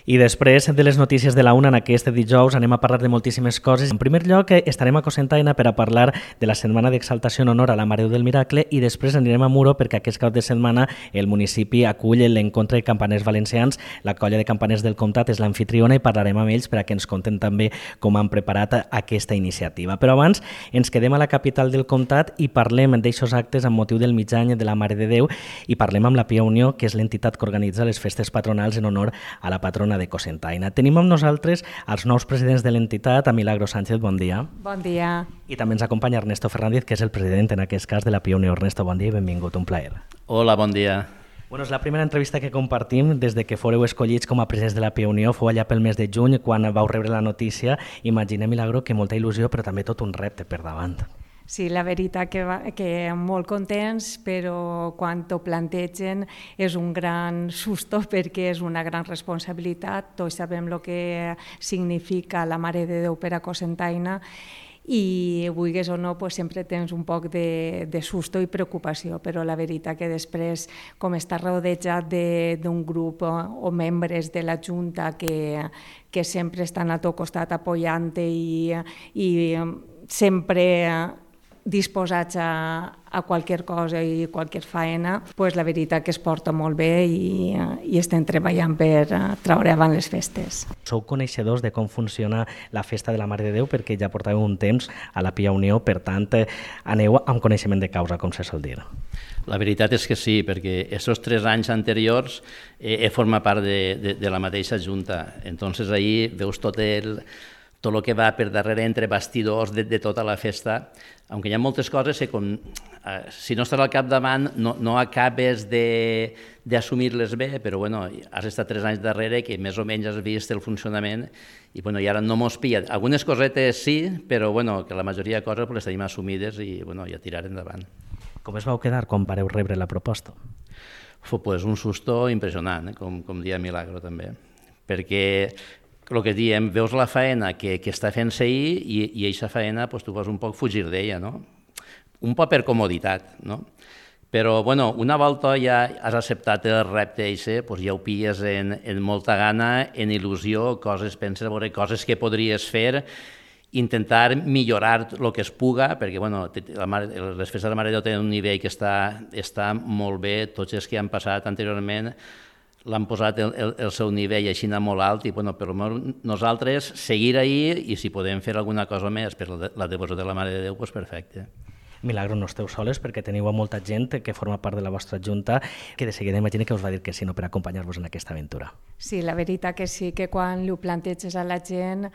I després de les notícies de la una en aquest dijous anem a parlar de moltíssimes coses. En primer lloc estarem a Cocentaina per a parlar de la setmana d'exaltació en honor a la Mare de Déu del Miracle i després anirem a Muro perquè aquest cap de setmana el municipi acull l'encontre de campaners valencians. La colla de campaners del comtat és l'anfitriona i parlarem amb ells per a que ens conten també com han preparat aquesta iniciativa. Però abans ens quedem a la capital del comtat i parlem d'aixòs actes amb motiu del mig any de la Mare de Déu i parlem amb la Pia Unió, que és l'entitat que organitza les festes patronals en honor a la patrona de Cocentaina. Tenim amb nosaltres els nous presidents de l'entitat, a Milagro Sánchez, bon dia. Bon dia. I també ens acompanya Ernesto Fernández, que és el president en aquest cas de la Pia Unió. Ernesto, bon dia i benvingut, un plaer. Hola, bon dia. Bueno, és la primera entrevista que compartim des de que fóreu escollits com a presidents de la Pia Unió. Fou allà pel mes de juny, quan vau rebre la notícia. Imaginem, Milagro, que molta il·lusió, però també tot un repte per davant. Sí, la veritat que molt contents, però quan t'ho plantegen és un gran susto perquè és una gran responsabilitat. Tots sabem el que significa la Mare de Déu per a Cocentaina i, vulguis o no, sempre tens un poc de susto i preocupació, però la veritat que després, com està rodejat d'un grup o membres de la Junta que sempre estan a tot costat apoyant-te i sempre disposats a qualsevol cosa i qualsevol faena, la veritat que es porta molt bé i estem treballant per treure avant les festes. Sou coneixedors de com funciona la festa de la Mare de Déu perquè ja portàveu un temps a la Pia Unió, per tant, aneu amb coneixement de causa, com se sol dir. La veritat és que sí, perquè aquests 3 anys anteriors he format part de la mateixa Junta. Entonces ahí veus tot el que va per darrere entre bastidors de tota la festa, aunque hi ha moltes coses que si no estàs al capdavant no acabes d'assumir-les bé, però has estat 3 anys darrere que més o menys has vist el funcionament i ara no mos pilla. Algunes cosetes sí, però que la majoria de coses les tenim assumides i ja tirar endavant. Com es vau quedar quan vareu rebre la proposta? Un susto impressionant, com dia Milagro també, perquè el que diem, veus la faena que està fent-se ahir i aquesta faena tu vas un poc fugir d'ella, no? Un poc per comoditat, no? Però una volta ja has acceptat el repte ja ho pilles en molta gana, en il·lusió, penses veure coses que podries fer, intentar millorar el que es puga, perquè les festes de la Mare de Déu tenen un nivell que està molt bé, tots els que han passat anteriorment l'han posat el seu nivell així molt alt i per nosaltres seguir ahir i si podem fer alguna cosa més per la devoció de la Mare de Déu, perfecte. Milagro, no esteu soles perquè teniu molta gent que forma part de la vostra junta que de seguida imagina que us va dir que sí, no, per acompanyar-vos en aquesta aventura. Sí, la veritat que sí, que quan ho planteges a la gent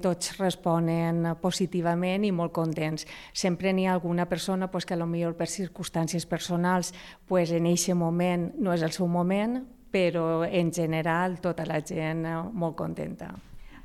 tots responen positivament i molt contents. Sempre n'hi ha alguna persona que potser per circumstàncies personals en aquest moment no és el seu moment, però en general tota la gent molt contenta.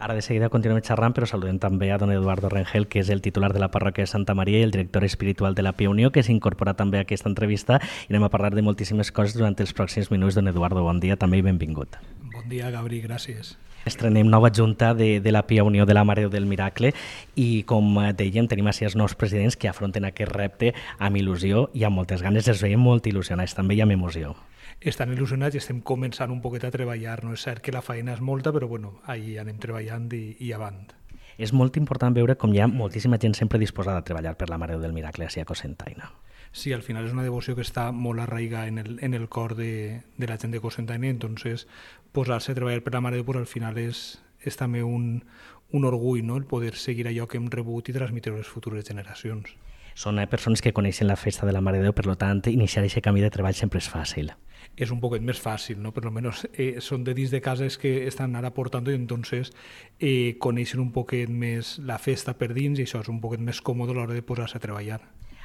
Ara de seguida continuem xerrant, però saludem també a don Eduardo Rengel, que és el titular de la parròquia de Santa Maria i el director espiritual de la Pia Unió, que s'incorpora també a aquesta entrevista i anem a parlar de moltíssimes coses durant els pròxims minuts. Don Eduardo, bon dia també i benvingut. Bon dia, Gabri, gràcies. Estrenem nova junta de la Pia Unió de la Mare del Miracle i, com dèiem, tenim així els nous presidents que afronten aquest repte amb il·lusió i amb moltes ganes. Els veiem molt il·lusionats també i amb emoció. Estan il·lusionats i estem començant un poquet a treballar. No és cert que la feina és molta, però ahí anem treballant i avant. És molt important veure com hi ha moltíssima gent sempre disposada a treballar per la Mare del Miracle a Cocentaina. Sí, al final és una devoció que està molt arraigada en el cor de la gent de Cocentaina, entonces posar-se a treballar per la Mare de Déu al final és també un orgull, no? El poder seguir allò que hem rebut i transmetre a les futures generacions. Són persones que coneixen la festa de la Mare de Déu, per tant, iniciar aquest camí de treball sempre és fàcil. És un poquet més fàcil, ¿no? Per almenys són de dins de cases que estan ara portant i entonces coneixen un poquet més la festa per dins i això és un poquet més còmode a l'hora de posar-se a treballar.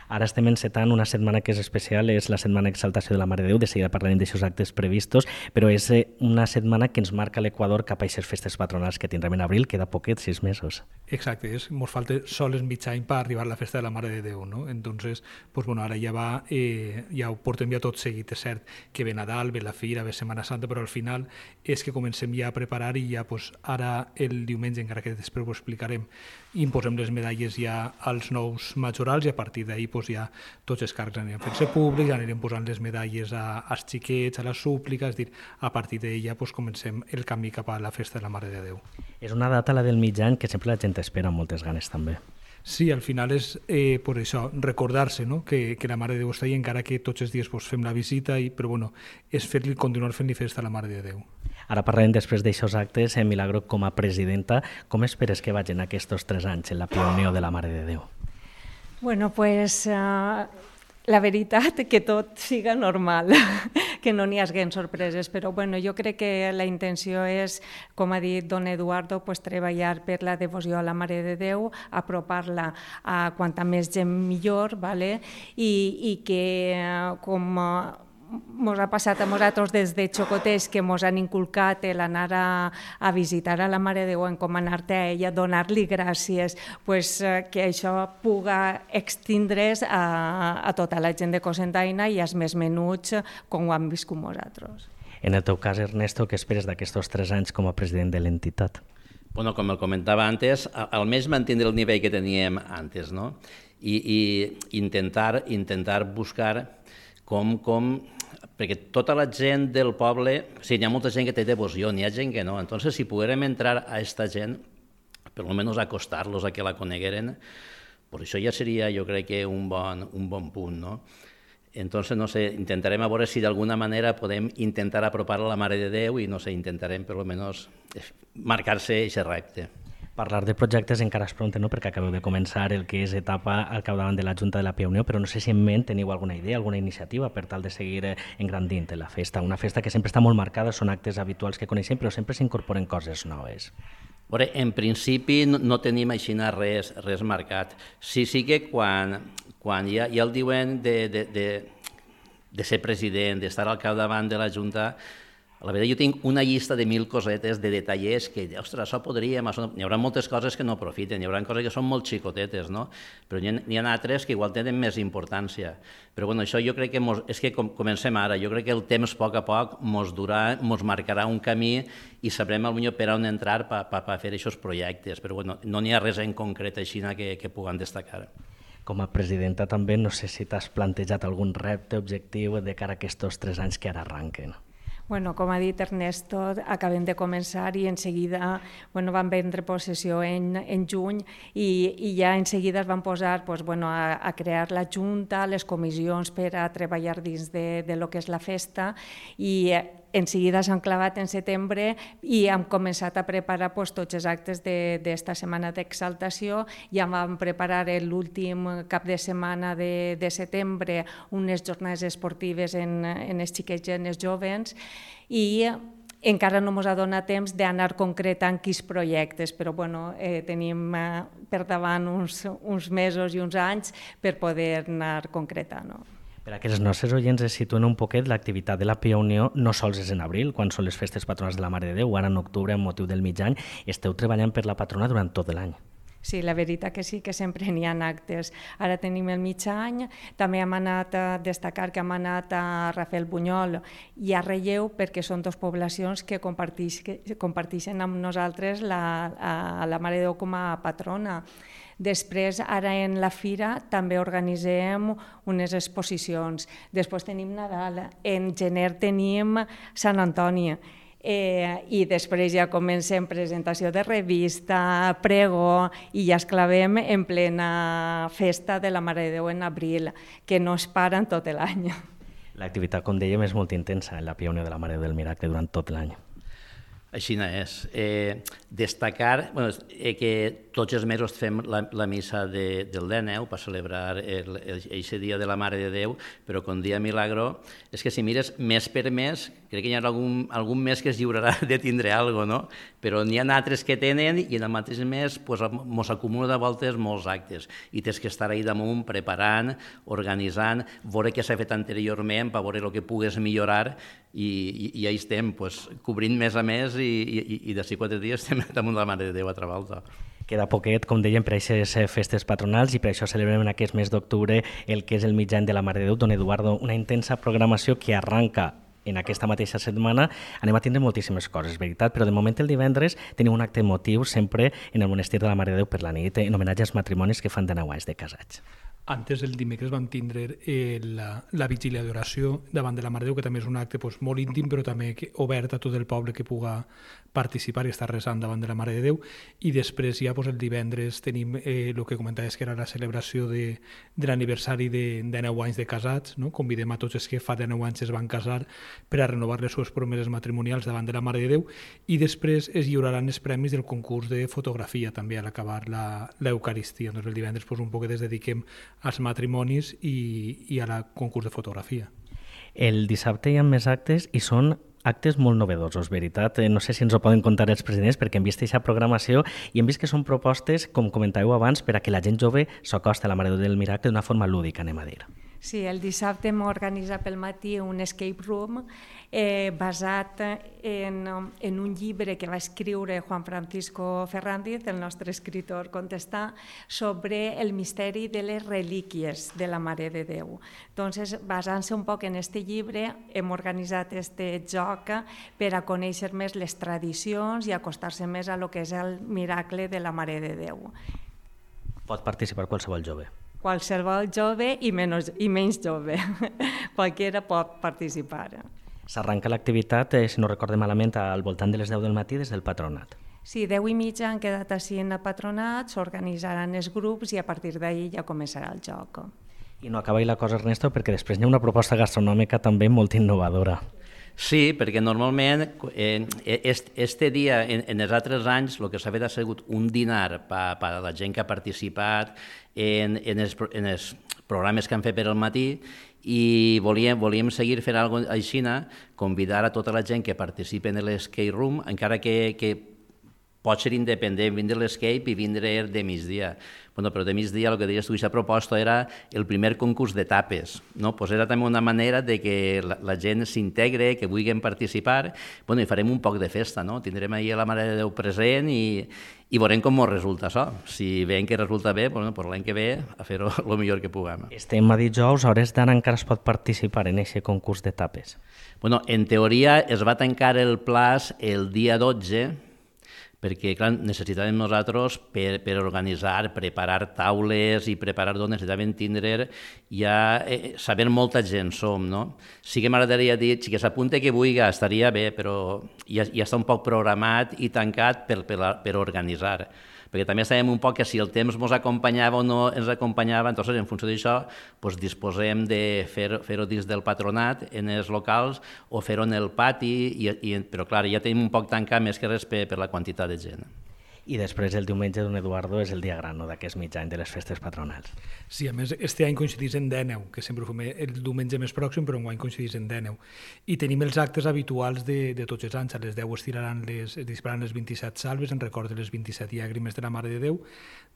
Ara estem encetant una setmana que és especial, és la setmana d'exaltació de la Mare de Déu, de seguida parlarem d'aixòs actes previstos, però és una setmana que ens marca l'Equador cap a aquestes festes patronals que tindrem en abril, queda poquet, 6 mesos. Exacte, ens falta sols mig any per arribar a la festa de la Mare de Déu, no? Entonces, ara ja ho portem ja tot seguit, és cert que ve Nadal, ve la Fira, ve Setmana Santa, però al final és que comencem ja a preparar i ja ara el diumenge, encara que després ho explicarem, imposem les medalles ja als nous majorals i a partir d'ahir doncs ja tots els càrrecs anirem fent-se públics, anirem posant les medalles als xiquets, a les súpliques, és dir, a partir d'ella doncs, comencem el camí cap a la festa de la Mare de Déu. És una data, la del mig any, que sempre la gent espera amb moltes ganes també. Sí, al final és per això, recordar-se, no? que la Mare de Déu està ahí, encara que tots els dies fem la visita, però bueno, és continuar fent-li festa a la Mare de Déu. Ara parlarem després d'aixòs actes. Milagro, com a presidenta, com esperes que vagin aquests 3 anys en la Pia Unió de la Mare de Déu? Bueno, pues la veritat que tot siga normal, que no n'hi haguen sorpreses, però bueno, jo crec que la intenció és, com ha dit don Eduardo, pues, treballar per la devoció a la Mare de Déu, apropar-la a quanta més gent millor, ¿vale? I que com mos ha passat a nosaltres des de xocotets que mos han inculcat l'anar a visitar a la Mare de Déu, encomanar-te a ella, donar-li gràcies, pues, que això puga extindre's a tota la gent de Cocentaina i als més menuts com ho han viscut nosaltres. En el teu cas, Ernesto, què esperes d'aquests 3 anys com a president de l'entitat? Bueno, com el comentava antes, almenys mantenir el nivell que teníem antes, no? I intentar buscar perquè tota la gent del poble, sí, hi ha molta gent que té devoció, n'hi ha gent que no, entonces si poguérem entrar a esta gent, per lo menos acostar-los a que la conegueren, pues això ja seria, jo crec que un bon punt, no? Entonces, no sé, intentarem a veure si d'alguna manera podem intentar apropar a la Mare de Déu i, no sé, intentarem per lo menos marcar-se aquest repte. Parlar de projectes encara és pront, no? Perquè acabeu de començar el que és etapa al capdavant de la Junta de la Pia Unió, però no sé si en ment teniu alguna idea, alguna iniciativa per tal de seguir engrandint la festa. Una festa que sempre està molt marcada, són actes habituals que coneixem, però sempre s'incorporen coses noves. Veure, en principi no tenim així res marcat. Sí que quan ja el diuen de ser president, d'estar al capdavant de la Junta, la veritat, jo tinc una llista de 1000 cosetes, de detallers, que, ostres, això podríem... N'hi haurà moltes coses que no aprofiten, n'hi haurà coses que són molt xicotetes, no? Però n'hi ha altres que igual tenen més importància. Però bueno, això jo crec que és que comencem ara, jo crec que el temps a poc mos marcarà un camí i sabrem potser per on entrar per fer aquests projectes, però bueno, no n'hi ha res en concret així que puguem destacar. Com a presidenta també, no sé si t'has plantejat algun repte, objectiu de cara a aquests 3 anys que ara arranquen. Bueno, com ha dit Ernesto, acabem de començar i en seguida van prendre possessió en juny i ja en seguida es van posar a crear la Junta, les comissions per a treballar dins de lo que és la festa i en seguida s'han clavat en setembre i hem començat a preparar tots els actes d'esta setmana d'exaltació. Ja vam preparar l'últim cap de setmana de setembre unes jornades esportives en els xiquets i en els jovens i encara no ens ha donat temps d'anar concretant quins projectes, però tenim per davant uns mesos i uns anys per poder anar concretant. Per a que els nostres oients es situen un poquet, l'activitat de la Pia Unió no sols és en abril, quan són les festes patronals de la Mare de Déu, ara en octubre, amb motiu del mig any, esteu treballant per la patrona durant tot l'any. Sí, la veritat que sí, que sempre n'hi ha actes. Ara tenim el mig any, també hem anat a destacar que hem anat a Rafael Bunyol i a Relleu perquè són dues poblacions que comparteixen amb nosaltres la Mare de Déu com a patrona. Després, ara en la fira, també organitzem unes exposicions. Després tenim Nadal, en gener tenim Sant Antoni, i després ja comencem presentació de revista, pregó i ja es clavem en plena festa de la Mare de Déu en abril, que no es para en tot l'any. L'activitat, com dèiem, és molt intensa en la Pia Unió de la Mare del Miracle durant tot l'any. Així és. Destacar que tots els mesos fem la missa del dia 9 per celebrar aquest dia de la Mare de Déu, però com dia Milagro, és que si mires mes per mes, crec que hi ha algun mes que es lliurarà de tindre alguna cosa, no? Però n'hi ha altres que tenen i en el mateix mes mos acumula de voltes molts actes i tens que estar ahí damunt preparant, organitzant, veure què s'ha fet anteriorment per veure el que pugues millorar i ja estem cobrint mes a mes i d'ací 4 dies estem damunt de la Mare de Déu a Travalta. Queda poquet, com dèiem, per a aquestes festes patronals i per això celebrem en aquest mes d'octubre el que és el mig any de la Mare de Déu. Don Eduardo, una intensa programació que arranca en aquesta mateixa setmana. Anem a tindre moltíssimes coses, veritat, però de moment el divendres tenim un acte emotiu sempre en el monestir de la Mare de Déu per la nit en homenatge als matrimonis que fan de 9 anys de casats. Antes, el dimecres, vam tindre la vigília d'oració davant de la Mare de Déu, que també és un acte molt íntim, però també obert a tot el poble que puga participar i estar resant davant de la Mare de Déu. I després ja el divendres tenim el que comentaves, que era la celebració de l'aniversari de 9 anys de casats. No? Convidem a tots els que fa 9 anys es van casar per a renovar les seves promeses matrimonials davant de la Mare de Déu, i després es lliuraran els premis del concurs de fotografia també a l'acabar l'Eucaristia. Doncs el divendres un poc es dediquem als matrimonis i al concurs de fotografia. El dissabte hi ha més actes i són actes molt novedosos, veritat. No sé si ens ho poden contar els presidents, perquè hem vist aquesta programació i hem vist que són propostes, com comentàveu abans, per a que la gent jove s'acosti a la Mare del Miracle d'una forma lúdica, anem a dir. Sí, el dissabte hem organitzat pel matí un escape room basat en un llibre que va escriure Juan Francisco Ferrandiz, el nostre escritor contestà, sobre el misteri de les relíquies de la Mare de Déu. Entonces, basant-se un poc en aquest llibre, hem organitzat aquest joc per a conèixer més les tradicions i acostar-se més a lo que és el miracle de la Mare de Déu. Pot participar qualsevol jove. Qualsevol jove i menys jove. Qualquiera pot participar. S'arranca l'activitat, si no recorde malament, al voltant de les 10 del matí des del patronat. Sí, 10:30 han quedat així en el patronat, s'organitzaran els grups i a partir d'ahir ja començarà el joc. I no acaba la cosa, Ernesto, perquè després hi ha una proposta gastronòmica també molt innovadora. Sí, perquè normalment este dia, en els altres anys, el que s'ha fet ha sigut un dinar per a la gent que ha participat en els programes que han fet per al matí, i volíem seguir fent alguna cosa així, convidar a tota la gent que participi en l'escape room, encara que pot ser independent, vindre l'escape i vindre de migdia. Bueno, però de migdia, el que deies tu, aquesta proposta era el primer concurs de tapes. No? Pues era també una manera de que la gent s'integre, que vulguin participar, bueno, i farem un poc de festa, no? Tindrem ahir la Mare de Déu present i veurem com ens resulta això. Si veiem que resulta bé, bueno, pues l'any que ve a fer-ho el millor que puguem. Estem a dijous, a hores d'ara encara es pot participar en aquest concurs de tapes. Bueno, en teoria es va tancar el plaç el dia 12, perquè clar, necessitàvem nosaltres per organitzar, preparar taules i preparar d'on necessitàvem tindre, ja saber molta gent som, no? Sí que m'agradaria dir, si que s'apunta que vulgui, estaria bé, però ja està un poc programat i tancat per organitzar. Perquè també sabem un poc que si el temps ens acompanyava o no ens acompanyava, entonces, en funció d'això, disposem de fer-ho dins del patronat, en els locals, o fer-ho en el pati, però clar, ja tenim un poc tancat més que res per la quantitat de gent. I després el diumenge d'un Eduardo és el dia gran d'aquest mig any de les festes patronals. Sí, a més, este any coincidís en Dèneu, que sempre ho fem el diumenge més pròxim, però enguany coincidís en Dèneu. I tenim els actes habituals de tots els anys. A les 10 es dispararan les 27 salves en record de les 27 llàgrimes de la Mare de Déu.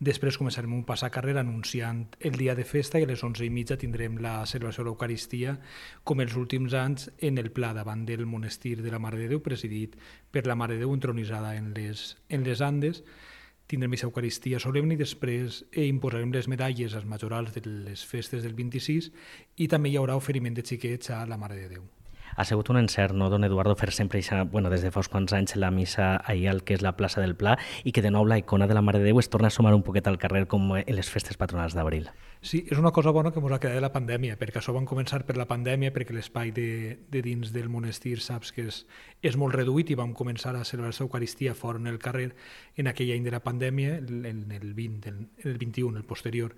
Després començarem un passacarrer anunciant el dia de festa i a les 11:30 tindrem la celebració de l'Eucaristia, com els últims anys, en el pla davant del monestir de la Mare de Déu, presidit per la Mare de Déu entronitzada en les Andes. Tindrem aquesta Eucaristia solemne i després imposarem les medalles als majorals de les festes del 26 i també hi haurà oferiment de xiquets a la Mare de Déu. Ha sigut un encert, no, don Eduardo, fer sempre des de fa uns quants anys la missa ahir al que és la plaça del Pla i que de nou la icona de la Mare de Déu es torna a sumar un poquet al carrer com en les festes patronals d'abril. Sí, és una cosa bona que ens ha quedat de la pandèmia, perquè això van començar per la pandèmia, perquè l'espai de dins del monestir saps que és molt reduït i vam començar a celebrar l'Eucaristia fora en el carrer en aquell any de la pandèmia, en el 21, el posterior.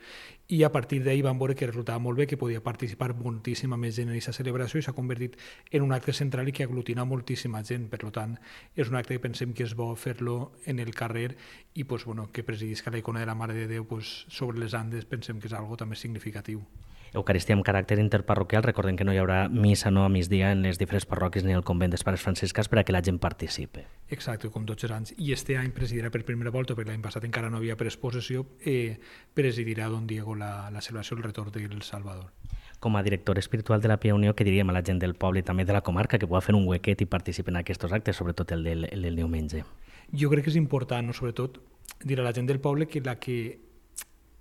I a partir d'ahir vam veure que resultava molt bé, que podia participar moltíssima més gent en aquesta celebració i s'ha convertit en un acte central i que aglutina moltíssima gent. Per tant, és un acte que pensem que és bo fer-lo en el carrer i que presidisca la icona de la Mare de Déu sobre les Andes, pensem que és algo també significatiu. Eucaristia amb caràcter interparroquial, recordem que no hi haurà missa a migdia en les diferents parròquies ni al convent dels Pares Franciscans per a que la gent participi. Exacte, com tots els anys. I este any presidirà per primera volta, perquè l'any passat encara no havia presposició, presidirà don Diego la celebració del retorn del Salvador. Com a director espiritual de la Pia Unió, què diríem a la gent del poble i també de la comarca que pugui fer un huequet i participar en aquests actes, sobretot el del diumenge? Jo crec que és important, sobretot, dir a la gent del poble que la que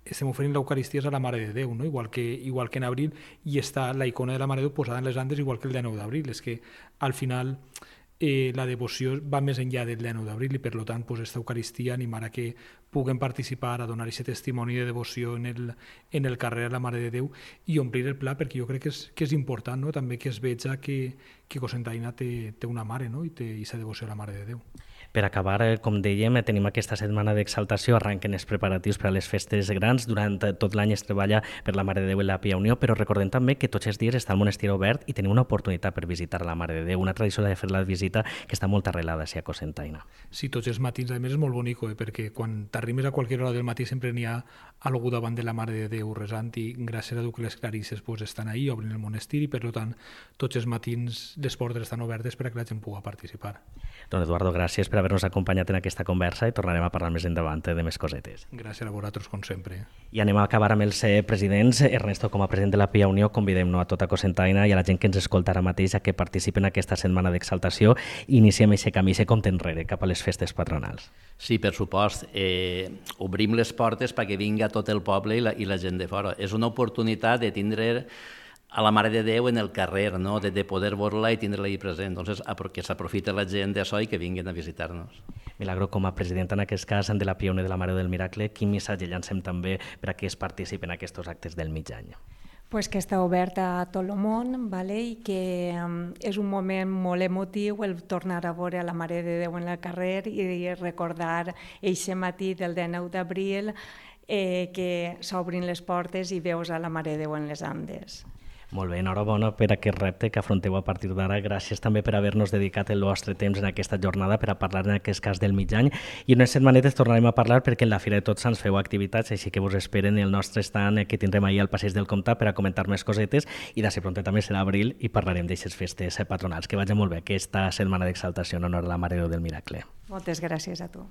estem oferint l'Eucaristia és a la Mare de Déu, no? igual que en abril, i està la icona de la Mare de Déu posada en les Andes igual que el 9 d'abril. És que al final la devoció va més enllà del dia 9 d'abril i per tant aquesta Eucaristia animarà que puguen participar a donar aquest testimoni de devoció en el carrer a la Mare de Déu i omplir el pla, perquè jo crec que és important, no? També que es veja que Cocentaina té una mare, no? I té aquesta devoció a la Mare de Déu. Per acabar, com dèiem, tenim aquesta setmana d'exaltació, arrenquen els preparatius per a les festes grans, durant tot l'any es treballa per la Mare de Déu i la Pia Unió, però recordem també que tots els dies està el monestir obert i tenim una oportunitat per visitar la Mare de Déu, una tradició de fer la visita que està molt arrelada a Cocentaina. Sí, tots els matins, a més és molt bonic, perquè quan t'arrimes a qualsevol hora del matí sempre n'hi ha algú davant de la Mare de Déu resant i gràcies a Déu que les clarisses estan ahí, obrin el monestir i per tant tots els matins les portes estan obertes per a que la gent pugui participar. Don Eduardo, gràcies per haver-nos acompanyat en aquesta conversa i tornarem a parlar més endavant de més cosetes. Gràcies a vosaltres, com sempre. I anem a acabar amb els presidents. Ernesto, com a president de la Pia Unió, convidem a tota Cocentaina i a la gent que ens escolta ara mateix a que participen en aquesta setmana d'exaltació i iniciem aquest camí, aquest compte enrere cap a les festes patronals. Sí, per supost. Obrim les portes perquè vinga tot el poble i la gent de fora. És una oportunitat de tindre a la Mare de Déu en el carrer, no? de poder veure-la i tindre-la ahí present. Entonces, que s'aprofita la gent d'això i que vinguin a visitar-nos. Milagro, com a presidenta en aquest cas de la Pia Unió de la Mare del Miracle, quin missatge llancem també per a que es participen en aquests actes del mig any? Pues que està oberta a tot el món, vale? I que és un moment molt emotiu el tornar a veure a la Mare de Déu en el carrer i recordar eixe matí del 19 d'abril que s'obrin les portes i veus a la Mare de Déu en les Andes. Molt bé, enhorabona per aquest repte que afronteu a partir d'ara. Gràcies també per haver-nos dedicat el vostre temps en aquesta jornada per a parlar en aquest cas del mig any. I unes setmanetes tornarem a parlar perquè en la Fira de Tots Sants feu activitats, així que vos esperen el nostre stand que tindrem ahir al Passeig del Comtat per a comentar més cosetes i d'ací pronto també serà abril i parlarem d'aixes festes patronals. Que vagi molt bé aquesta setmana d'exaltació en honor a la Mare de Déu del Miracle. Moltes gràcies a tu.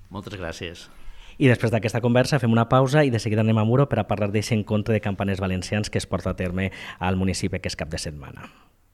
Moltes gràcies. I després d'aquesta conversa fem una pausa i de seguida anem a Muro per a parlar d'aquest encontre de campanes valencians que es porta a terme al municipi aquest cap de setmana.